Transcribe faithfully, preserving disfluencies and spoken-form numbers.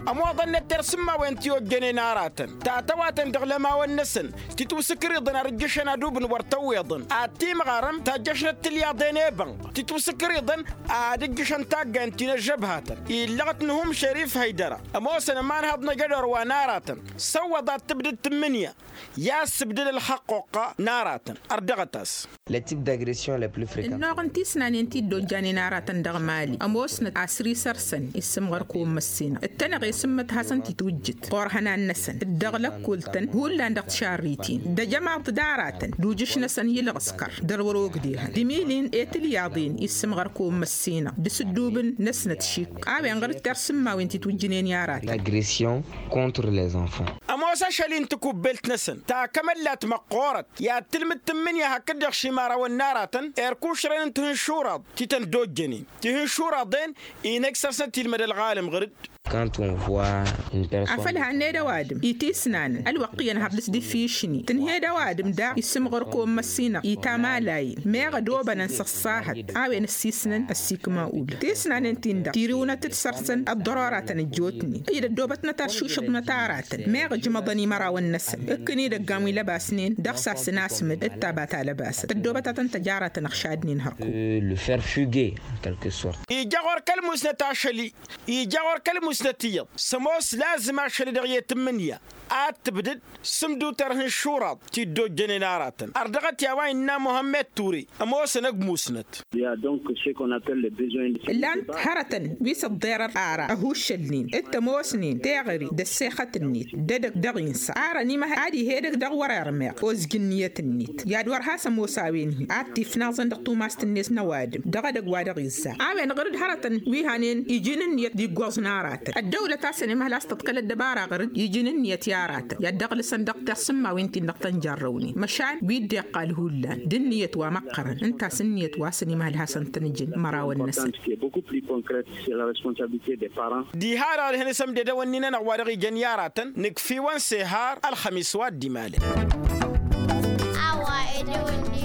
Ămoḍăn-net tersǝmmawen ti ojjănen aratăn tatăwatăn dăɣ-lămawăn-năsăn titwǝsǝkrǝyḍăn ad-ǝjjǝšăn adubǝn wăr tăwweḍăn ad-timɣarăm tajjăšnăt tilyaḍen i-bănɣ titwǝsǝkrǝyḍăn ad-ǝjjǝšăn taggayn ti n-ăžžăbhatăn illăɣăt n-hum šărif hăydăra. Ămoosăn ămanhăḍ n-ajădor wa n-aratăn săwwăḍ ad-tǝbdǝd tǝmmǝnǝya i-ad-sǝbdǝd ălxăqqoqqa n-aratăn. Ărdăɣăt-as. Lătip d-agression lăplufrikan. Ǝnnuɣ n-tisnanen ti dd-ojjanen aratăn dăɣ-mali ămoosnăt asri săr-săn issǝmɣăr kăwăn măssinăɣ ǝttănăɣ i-sǝmmăt hasăn-t-itwǝjjǝt ɣur-ihănan-năsăn dd-ăɣlăkkol-tăn hullan dăɣ-tišarritin d-ăjămaḍ d-aratăn d-ujǝš-năsăn i-ǝlɣǝskăr dăr-wăr-ogdehăn d-imilin i-tilyaḍen issǝmɣăr kăwăn măssinăɣ d-asǝddubǝn-năsnăt šik a-wen ɣur-dd tersǝmmawen ti twǝjjǝnen i-aratăn. Agression contre les enfants. Ămoos ašăl-i n-takubbelt-năsăn ta kămăllat măqqoorăt i-ad-tǝlmǝd tǝmmǝnǝya hakd-dăɣ šimarawăn n-aratăn erk ušren n-tihǝnšuraḍ ti tăn-dd-ojjănen tihǝnšuraḍen-i n-ăj săr-snăt ilmăd ălɣalăm ɣǝr-dd. Afăl hanned ăwadǝm itisnanăn ălwăqq iyyăn har dăɣ-s d-ifišni tǝnhed ăwadǝm daɣ issǝmɣăr kăwăn măssinăɣ itamalayen meɣ ădobănăn s-ăṣṣahăt a-wen ăssisnăn ăssikma ull tisnanen-tin-dăɣ tiriwnăt-dd săr-săn ăḍḍăroratăn ăjjootnen ǝjǝd ăddobătnăt aršušăḍnăt aratăn meɣ ǝjmăḍăn imărawăn-năsăn ǝkkǝn idăggan wi lăbasnen dăɣ-sasăn asmǝd d-taba ta lăbasăt ăddobăt ad-tăn-tăj aratăn ăɣšadnen hărkuk. Ija ɣur-kăl-musnăt ašăl-i ija ɣur-kăl-musnăt iyyăḍ s-ămoos lazǝm ašăl-i-dăɣ i-tǝmmǝnǝya ad-tǝbdǝd s-ǝmduter ihǝnšuraḍ ti dd-ojjănen aratăn ărdăɣăt i-a-wa innă muhămmed ture. Ămoosăn ăgg musnăt. Ǝllan-t hărătăn wi s-ăḍḍerăr ara ăhuššălnen d-tămoosnen teɣăre d-ăssexăt-net d-edăgg dăɣ-insa arăn imăhăy ad-ih' edăgg dăɣ-wăr-irmeɣ ozǝj ǝnniyăt-net i-ad-wăr has-ămoos a-wen-hi ad-t-ifnaẓăn dăɣ-tumast-net n-ăwadǝm dăɣ-edăgg wa dăɣ-izza a-wen ɣǝr-dd hărătăn wi hanen iji n-ǝnniyăt d-iggoẓ n-aratăn ăddăwlăt a-s ănimăhăl a-s tăḍkăl ăddăbara ɣǝr-dd iji n-ǝnniyăt i-aratăn i-ad-dăɣ-lăsăn dăɣ-tersǝmmawen-tin-dăɣ tăn-jarrăwnen măšan wi dd-iqqal hullan d-ǝnniyăt wa măqqărăn ǝnta a-s ǝnniyăt wa s-ănimăhăl hasăn-tăn-ǝjǝn imărawăn-năsăn. Diha-dăɣ d-hin-isămdedăwăn-in-anăɣ wa dăɣ-ijăn i-aratăn nǝkf'-iwăn s-ehar ălxămis wa dd-imalăn. A-wa edăwănnin.